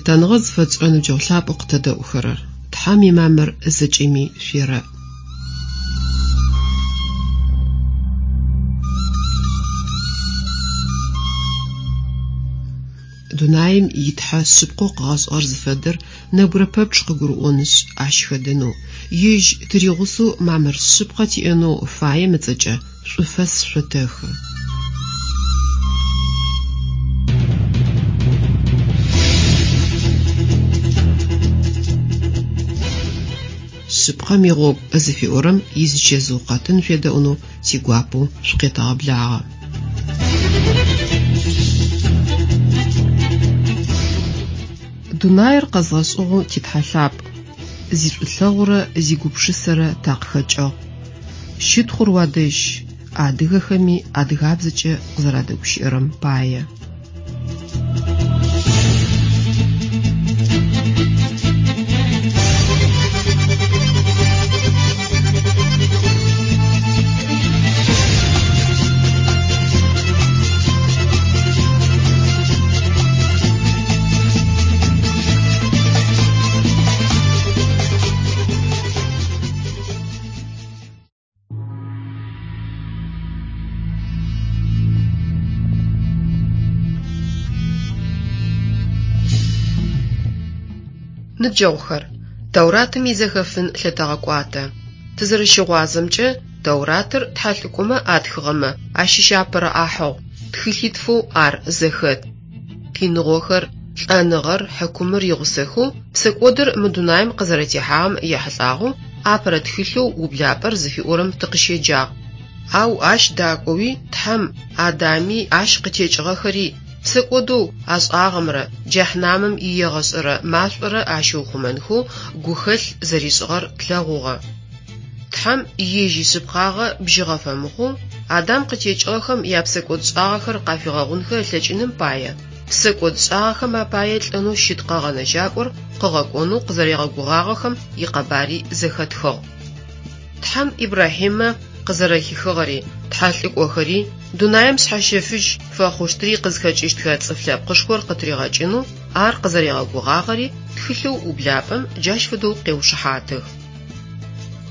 Лъытэныгъэ зыфэтшӏырэ ныбджэгъу лъапӏэу къытэдэӏухэрэр! Тхьэм имамыр зэкӏэми шъуерэӏ. Дунаим и Тхьэ шъыпкъэу къыгъэшӏыгъэр зыфэдэр нэбгырэ пэпчъ къыгурыӏонышъ, ащ хэдэнэу, Ежь тыригъусэу мамыр шъыпкъэ тиӏэнэу фаем ыцӏэкӏэ шӏуфэс шъотэхы. Шъыпкъэм игъогу зыфиӏорэм изичэзыу къэтын шъуедэӏунэу тигуапэу шъукъетэгъэблагъэ. Дунаир къэзгъэшӏыгъэу ти Тхьэ лъапӏ, зишӏулъэгъурэ зигупшысэрэ такъыхэкӏыгъ. Щытхъур уадэжь, адыгэхэми адыгабзэкӏэ къызэрадэгущыӏэрэм пае. Ныбджэгъухэр, Тауратым изэхэфын лъытэгъэкӏуатэ. Тызэрэщыгъуазэмкӏэ, Тауратыр тхьэлӏыкӏомэ атхыгъэмэ ащыщ апэрэ ӏахьыгъу, тхылъитфэу ар зэхэт. Къиныгъохэр, лӏэныгъэр, хьыкумыр игъусэхэу псэкӏодыр мы дунаим къызэрэтехьагъэм ехьылӏагъэу апэрэ тхылъэу Ублапӏэр зыфиӏорэм тыкъыщеджагъ. Ау ащ дакӏоуи Тхьэм Адами ащ къытекӏыгъэхэри псэкӏодэу ашӏагъэмрэ джэхьнамым иегъэшӏэрэ машӏорэ ащиухъумэнхэу гухэлъ зэришӏыгъэр тлъэгъугъэ. Тхьэм ежь ишъыпкъагъэ бжьыгъэ фэмыхъоу, Адам къытекӏыгъэхэм япсэкӏодшӏагъэхэр къафигъэгъунхэ ылъэкӏыным пае, псэкӏодшӏагъэхэм апае лӏэнэу щыт Къэгъэнэжьакӏор къыгъэкӏонэу къызэригъэгугъагъэхэм икъэбари зэхэтхыгъ. Тхьэм Ибрахьимэ къызэрэхихыгъэри, тхьэлӏыкӏохэри, дунаим шъхьэщэфыжь фэхъущтри къызхэкӏыщтхэ цӏыф лъэпкъышхор къытыригъэкӏынэу ар къызэригъэгугъагъэри тхылъэу Ублапӏэм джащ фэдэу къеушыхьатых.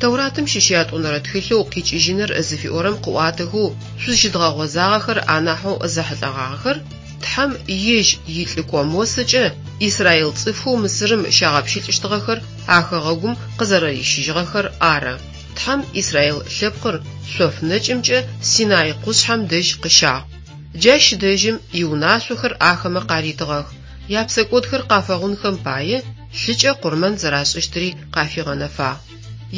Тэуратым щыщ ятӏонэрэ тхылъэу Къикӏыжьыныр зыфиӏорэм къыӏуатэхэу шъузщыдгъэгъозагъэхэр анахьэу зэхьылӏэгъагъэхэр Тхьэм ежь илӏыкӏо Мосэкӏэ израил цӏыфхэу Мысырым щагъэпщылӏыщтыгъэхэр а хэгъэгум къызэрэрищыжьыгъэхэр ары. Тхьэм израил лъэпкъыр шъоф нэкӏымкӏэ Синай къушъхьэм дэжь къыщагъ. Джащ дэжьым иунашъохэр ахэмэ къаритыгъэх, япсэкӏодхэр къафэгъунхэм пае лъыкӏэ къурмэн зэрашӏыщтыри къафигъэнэфагъ.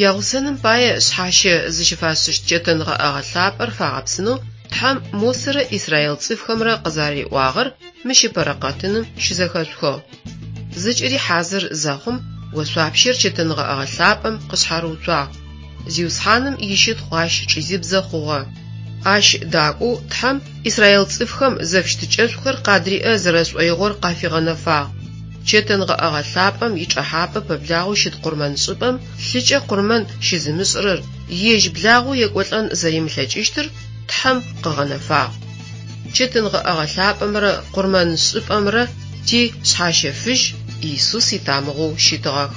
Ягъусэным пае шъхьащэ зыщыфашӏыщт чэтэнгъэӏэгъэ лъапӏэр фагъэпсынэу Тхьэм Мосэрэ израил цӏыфхэмрэ къызариӏуагъэр мыщ ыпэрэ къэтыным щызэхэшъухыгъ. Зэкӏэри хьазыр зэхъум, ошъуапщэр чэтэнгъэӏэгъэ лъапӏэм къышъхьарыуцуагъ. Зиусхьаным ищытхъу ащ чӏизыбзэ хъугъэ. Ащ дакӏоу Тхьэм израил цӏыфхэм зэфыщытыкӏэшӏухэр къадриӏэ зэрэшӏоигъор къафигъэнэфагъ. Чэтэнгъэӏэгъэ лъапӏэм ичӏэхьапӏэ пэблагъэу щыт къурмэншӏыпӏэм лъыкӏэ къурмэн щызымышӏырэр ежь благъэу екӏолӏэн зэримылъэкӏыщтыр Тхьэм къыгъэнэфагъ. Чэтэнгъэӏэгъэ лъапӏэмрэ къурмэншӏыпӏэмрэ ти Шъхьащэфыжь Иисус итамыгъэу щытыгъэх.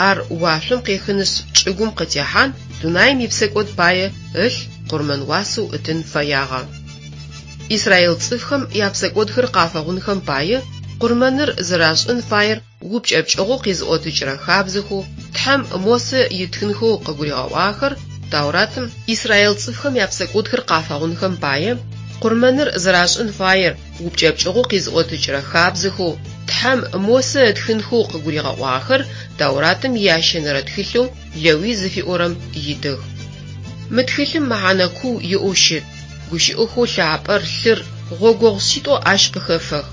Ар уашъом къехынышъ чӏыгум къытехьан, дунаим ипсэкӏод пае ылъ къурмэн уасэу ытын фэягъэ. Израил цӏыфхэм япсэкӏодхэр къафэгъунхэм пае къурмэныр зэрашӏын фаер упкӏэпкӏыгъэу къизыӏотыкӏырэ хабзэхэу Тхьэм Мосэ ытхынхэу къыгуригъэӏуагъэхэр Тауратым израил цӏыфхэм япсэкӏодхэр къафэгъунхэм пае къурмэныр зэрашӏын фаер упкӏэпкӏыгъэу къизыӏотыкӏырэ хабзэхэу Тхьэм Мосэ ытхынхэу къыгуригъэӏуагъэхэр Тауратым иящэнэрэ тхылъэу Лэуй зыфиӏорэм итых. Мы тхылъым мэхьанэ куу иӏэу щыт. Гущыӏэхэу лъапӏэр, лъыр, гъогогъу шъитӏо ащ къыхэфэх.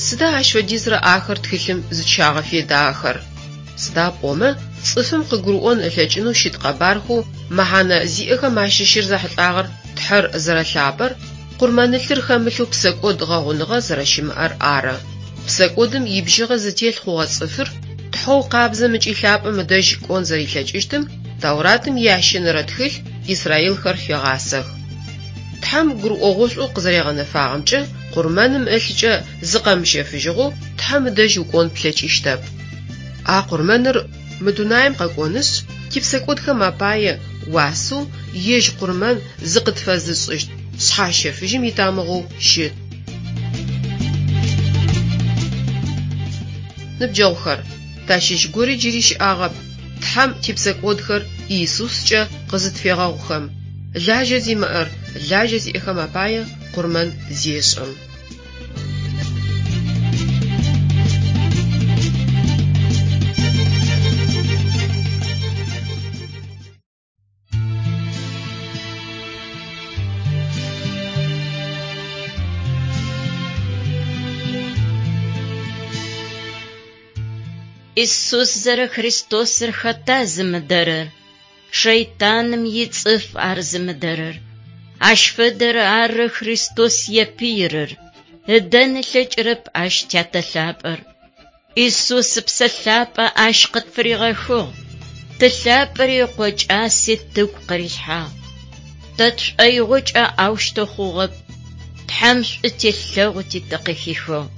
Сыда ащ фэдизрэ ахэр тхылъым зыкӏыщагъэфедагъэхэр? Сыда пӏомэ, цӏыфым къыгурыӏон ылъэкӏынэу щыт къэбархэу мэхьанэ зиӏэхэм ащыщыр зэхьылӏагъэр Тхьэр зэрэлъапӏэр, къурмэнылъыр хэмылъэу псэкӏод гъэгъуныгъэ зэрэщымыӏэр ары. Псэкӏодым ибжьыгъэ зытелъ хъугъэ цӏыфыр Тхьэу къабзэм ыкӏи лъапӏэм ыдэжь кӏон зэрилъэкӏыщтым Тауратым иящэнэрэ тхылъ израилхэр фегъасэх. Тхьэм гурыӏогъошӏоу къызэригъэнэфагъэмкӏэ, къурмэным ылъыкӏэ зыкъэмыщэфыжьыгъэу Тхьэм ыдэжь укӏон плъэкӏыщтэп. А къурмэныр мы дунаим къэкӏонышъ, типсэкӏодхэм апае уасэу ежь къурмэн зыкъытфэзышӏыщт шъхьащэфыжьым итамыгъэу щыт. Ныбджэгъухэр, тащыщ гори джыри щыӏагъэп Тхьэм типсэкӏодхэр Иисускӏэ къызытфегъэгъухэм, лажьэ зимыӏэр лажьэ зиӏэхэм апае къурмэн зешӏым. Исус зэрэ Христосыр хэта зымыдэрэр? Шэйтаным ицӏыф ар зымыдэрэр. Ащ фэдэр ары Христос епыирэр, ыдэн ылъэкӏырэп ащ Тятэ лъапӏэр. Исус Ыпсэ Лъапӏэ ащ къытфыригъэхыгъ, Ты лъапӏэри Ыкъо кӏаси тыгу къырилъхьагъ. Тэ тшӏоигъокӏэ аущтэу хъугъэп, Тхьэм шӏу телъэгъути тыкъыхихыгъ.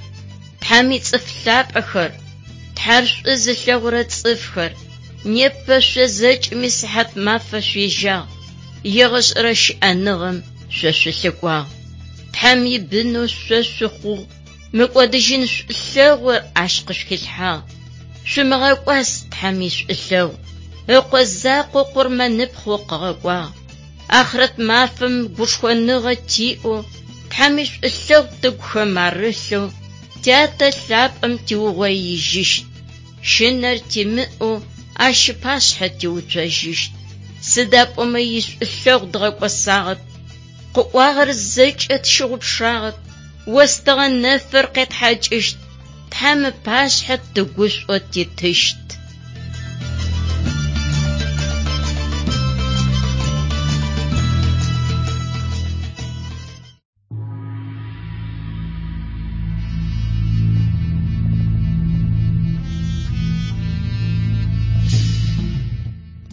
Тхьэм ицӏыф лъапӏэхэр, Тхьэр шӏу зылъэгъурэ цӏыфхэр, непэ шъо зэкӏэми сыхьат мафэ шъуежьагъ, егъэшӏэрэ щыӏэныгъэм шъо шъулъыкӏуагъ. Тхьэм ибынэу шъо шъухъугъ. Мыкӏодыжьын шӏулъэгъу ащ къышъухилъхьагъ. Шъумыгъэкӏуас Тхьэм ишӏулъэгъу. Ыкъо закъо къурмэныпхъэу къыгъэкӏуагъ. Ахърэт мафэм гушхоныгъэ тиӏэу, Тхьэм ишӏулъэгъу тыгухэм арылъэу, Тятэ лъапӏэм тиугъоижьыщт. Щынэр тимыӏэу ащ ыпашъхьэ тиуцожьыщт. Сыда пӏомэ ишӏулъэгъу дгъэкӏосагъэп. Къыӏуагъэр зэкӏэ тщыгъупшагъэп, остыгъэ нэфыр къетхьакӏыщт, Тхьэм ыпашъхьэ тыгушӏоу титыщт.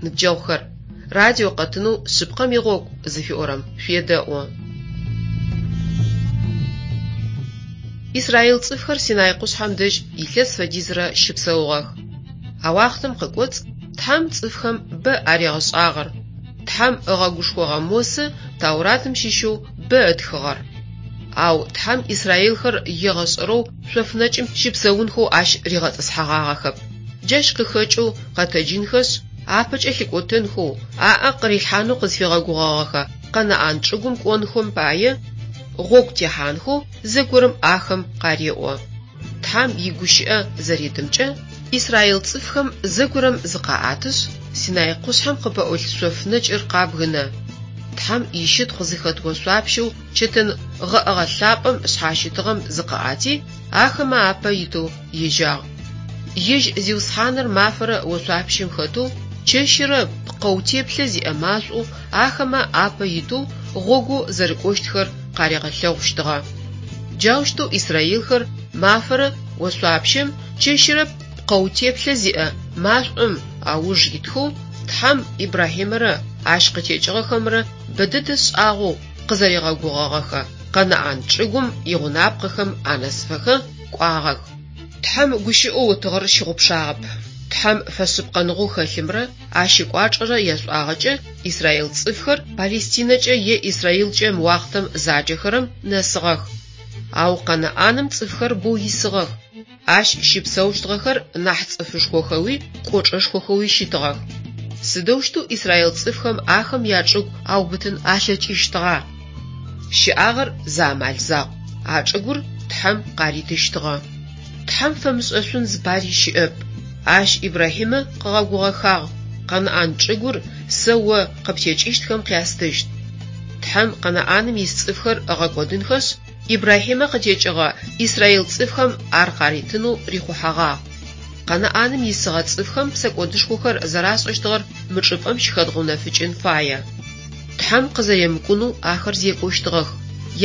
Ныбджэгъухэр, радио къэтынэу Шъыпкъэм игъогу зыфиӏорэм шъуедэӏу. Израил цӏыфхэр Синай къушъхьэм дэжь илъэс фэдизрэ щыпсэугъэх. А уахътэм къыкӏоцӏ Тхьэм цӏыфхэм бэ аригъэшӏагъэр. Тхьэм ыгъэгушхогъэ Мосэ Тауратым щыщэу бэ ытхыгъэр. Ау Тхьэм израилхэр егъэшӏэрэу шъоф нэкӏым щыпсэунхэу ащ ригъэтӏысхьэгъагъэхэп. Джащ къыхэкӏэу къэтэджынхэшъ, апэкӏэ лъыкӏотэнхэу, аӏэ къырилъхьанэу къызфигъэгугъэгъэхэ Къэнаӏан чӏыгум кӏонхэм пае гъогу техьанхэу зэгорэм ахэм къареӏо. Тхьэм игущыӏэ зэритымкӏэ, израил цӏыфхэм зэгорэм зыкъаӏэтышъ, Синай къушъхьэм къыпэӏулъ шъоф нэкӏыр къабгынэ. Тхьэм ищытхъу зыхэт ошъуапщэу чэтэн гъэӏэгъэ лъапӏэм шъхьащытыгъэм зыкъыӏэти, ахэмэ апэ итэу ежьагъ. Ежь Зиусхьаныр мафэрэ ошъуапщэм хэтэу, чэщырэ пкъэу теплъэ зиӏэ машӏоу ахэмэ апэ итэу гъогоу зэрыкӏощтхэр къаригъэлъэгъущтыгъэ. Джаущтэу израилхэр мафэрэ ошъуапщэм, чэщырэ пкъэу теплъэ зиӏэ машӏом ауж итхэу Тхьэм Ибрахьимэрэ ащ къытекӏыгъэхэмрэ бэдэдэ шӏагъэу къызэригъэгугъэгъэхэ Къэнаӏан чӏыгум игъунапкъэхэм анэсыфэхэ кӏуагъэх. Тхьэм гущыӏэу ытыгъэр щыгъупшагъэп. Тхьэм фэшъыпкъэныгъэу хэлъымрэ ащ ыкӏуачӏэрэ яшӏуагъэкӏэ израил цӏыфхэр Палестинэкӏэ е Израилкӏэ мы уахътэм заджэхэрэм нэсыгъэх. Ау Къэнаӏаным цӏыфхэр боу исыгъэх. Ащ щыпсэущтыгъэхэр нахь цӏыфышхохэуи кӏочӏэшхохэуи щытыгъэх. Сыдэущтэу израил цӏыфхэм ахэм ячӏыгу аубытын алъэкӏыщтыгъа? Щыӏагъэр зы амал закъу, а чӏыгур Тхьэм къаритыщтыгъэ. Тхьэм фэмышӏэшъун зыпари щыӏэп. Ащ Ибрахьимэ къыгъэгугъэхагъ, Къэнаӏан чӏыгур сэ о къыптекӏыщтхэм къястыщт. Тхьэм Къэнаӏаным ис цӏыфхэр ыгъэкӏодынхэшъ, Ибрахьимэ къытекӏыгъэ израил цӏыфхэм ар къаритынэу рихъухьэгъагъ. Къэнаӏаным исыгъэ цӏыфхэм псэкӏодышхохэр зэрашӏэщтыгъэр мы чӏыпӏэм щыхэдгъэунэфыкӏын фае. Тхьэм къызэремыкӏунэу ахэр зекӏощтыгъэх,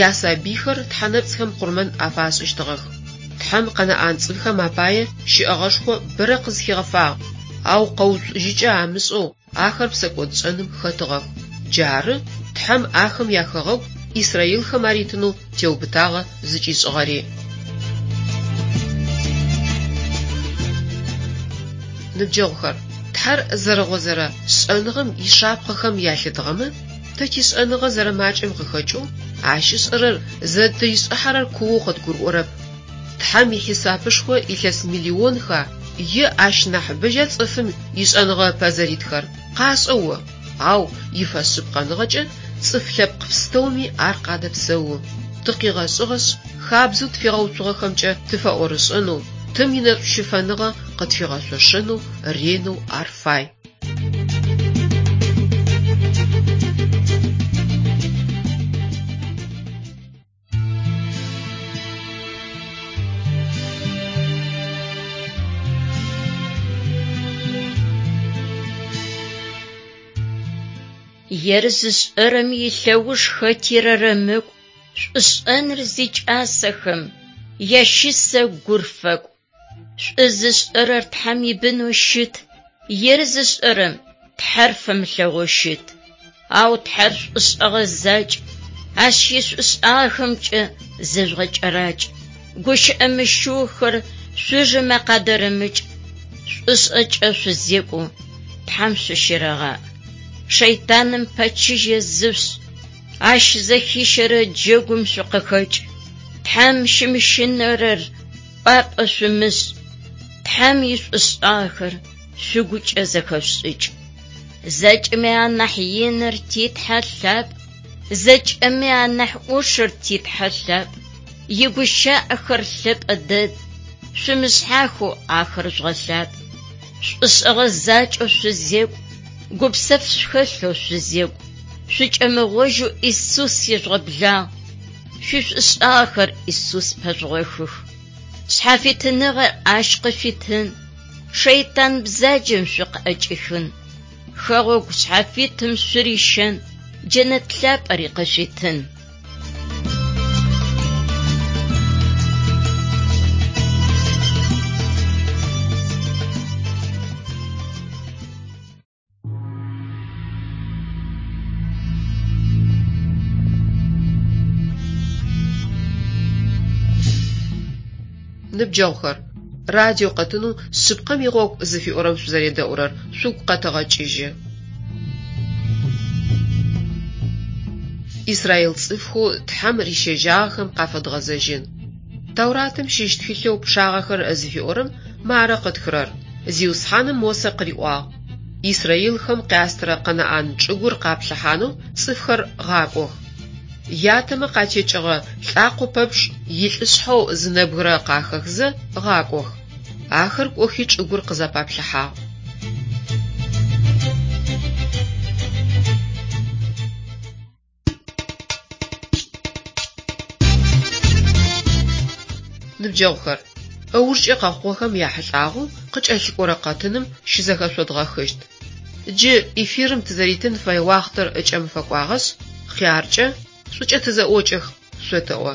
ясабыйхэр тхьэнэпцӏхэм къурмэн афашӏыщтыгъэх. Тхьэм къэнаӏан цӏыфхэм апае щыӏэгъэшхо бэрэ къызхигъэфагъ, ау къэуцужьыкӏэ амышӏэу ахэр псэкӏодшӏэным хэтыгъэх. Джары Тхьэм ахэм яхэгъэгу исраилхэм аритынэу теубытагъэ зыкӏишӏыгъэри. Ныбджэгъухэр, Тхьэр зэрыгъозэрэ шӏэныгъэм ишапхъэхэм ялъытыгъэмэ, тэ тишӏэныгъэ зэрэмакӏэм къыхэкӏэу, ащ ышӏэрэр зыдыришӏыхьэрэр куоу къыдгурыӏорэп. Тхьэм ихьисапышхо илъэс миллионха е ащ нахьыбэжьа цӏыфым ишӏэныгъэ ыпэ зэритхэр? Къашӏэ о! Ау ифэшъыпкъэныгъэкӏэ цӏыф лъэпкъ пстэуми ар къадэпсэу. Тыкъигъэшӏыгъэшъ, хабзэу тфигъэуцугъэхэмкӏэ тыфэӏорышӏэнэу, Тым инэшӏущыфэныгъэ къытфигъэшъошэнэу ренэу ар фай. Ер зышӏэрэм илъэуж хэти рэрэмыкӏу, шӏушӏэныр зикӏасэхэм ящысэ гур фэкӏу. Шӏу зышӏэрэр Тхьэм ибынэу щыт, ер зышӏэрэм Тхьэр фэмылъэгъоу щыт. Ау Тхьэр шӏушӏэгъэ закӏ, Ащ ишӏушӏагъэхэмкӏэ зыжъугъэкӏэракӏ. Гущыӏэ мыщыухэр шъужэмэ къадэрэмыкӏ, шӏушӏэкӏэ шъузекӏу, Тхьэм шъущерэгъаӏ. Шэйтаным пэчыжьэ зышъушӏ, ащ зэхищэрэ джэгум шъукъыхэкӏ. Тхьэм щымыщынэрэр кӏуапӏэ шъумышӏ, Тхьэм ишӏушӏагъэхэр шъугукӏэ зэхэшъушӏыкӏ. Зэкӏэми анахь иныр ти Тхьэ лъапӏ, зэкӏэми анахь ӏушыр ти Тхьэ лъапӏ. Игущыӏэхэр лъэпӏэ дэд, шъумышъхьахэу ахэр жъугъэлъапӏ. Шӏушӏэгъэ закӏэу шъузекӏу, гупсэф шъухэлъэу шъузекӏу, шъукӏэмыгъожьэу Исус ежъугъэблагъ, шъуишӏушӏагъэхэр Исус пэжъугъохых. Шъхьафитыныгъэр ащ къышъуитын, шэйтан бзаджэм шъукъыӏэкӏихын, хэгъэгу шъхьафитым шъурищэн, джэнэт лъапӏэри къышъуитын. Ныбджэгъухэр, радио къэтынэу Шъыпкъэм игъогу зыфиӏорэм шъузэредэӏурэр шъугу къэтэгъэкӏыжьы. Израил цӏыфхэу Тхьэм рищэжьагъэхэм къафэдгъэзэжьын. Тауратым щыщ тхылъэу Пчъагъэхэр зыфиӏорэм мары къытхырэр: Зиусхьаным Мосэ къыриӏуагъ: Исраилхэм къястырэ Къэнаӏан чӏыгур къаплъыхьанэу цӏыфхэр гъакӏох. Ятэмэ къатекӏыгъэ лӏакъо пэпчъ илӏышъхьэу зы нэбгырэ къахэхзэ гъакӏох. Ахэр кӏохи чӏыгур къызэпаплъыхьагъ. Ныбджэгъухэр, ыужкӏэ къэхъугъэхэм яхьылӏагъэу къыкӏэлъыкӏорэ къэтыным щызэхэшъодгъэхыщт. Джы эфирым тызэритын фэе уахътэр ыкӏэм фэкӏуагъэшъ, хъяркӏэ, шӏукӏэ тызэӏокӏэх, шъотэӏо.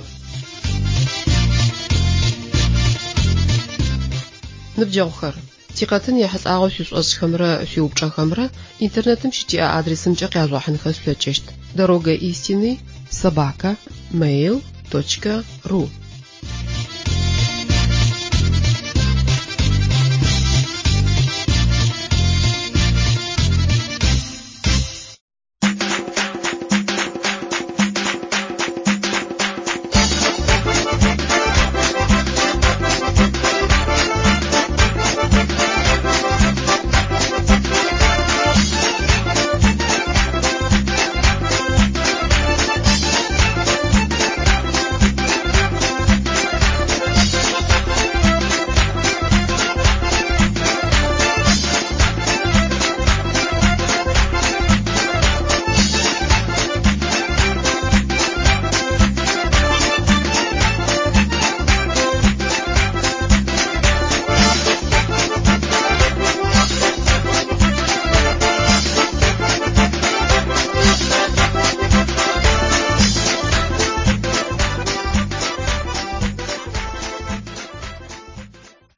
Ныбджэгъухэр, тикъэтын ехьылӏагъэу шъуишӏошӏхэмрэ шъуиупчӏэхэмрэ интернетым щытиӏэ адресымкӏэ къяжъугъэхьынхэ шъулъэкӏыщт: дорога истины собака mail точка ру.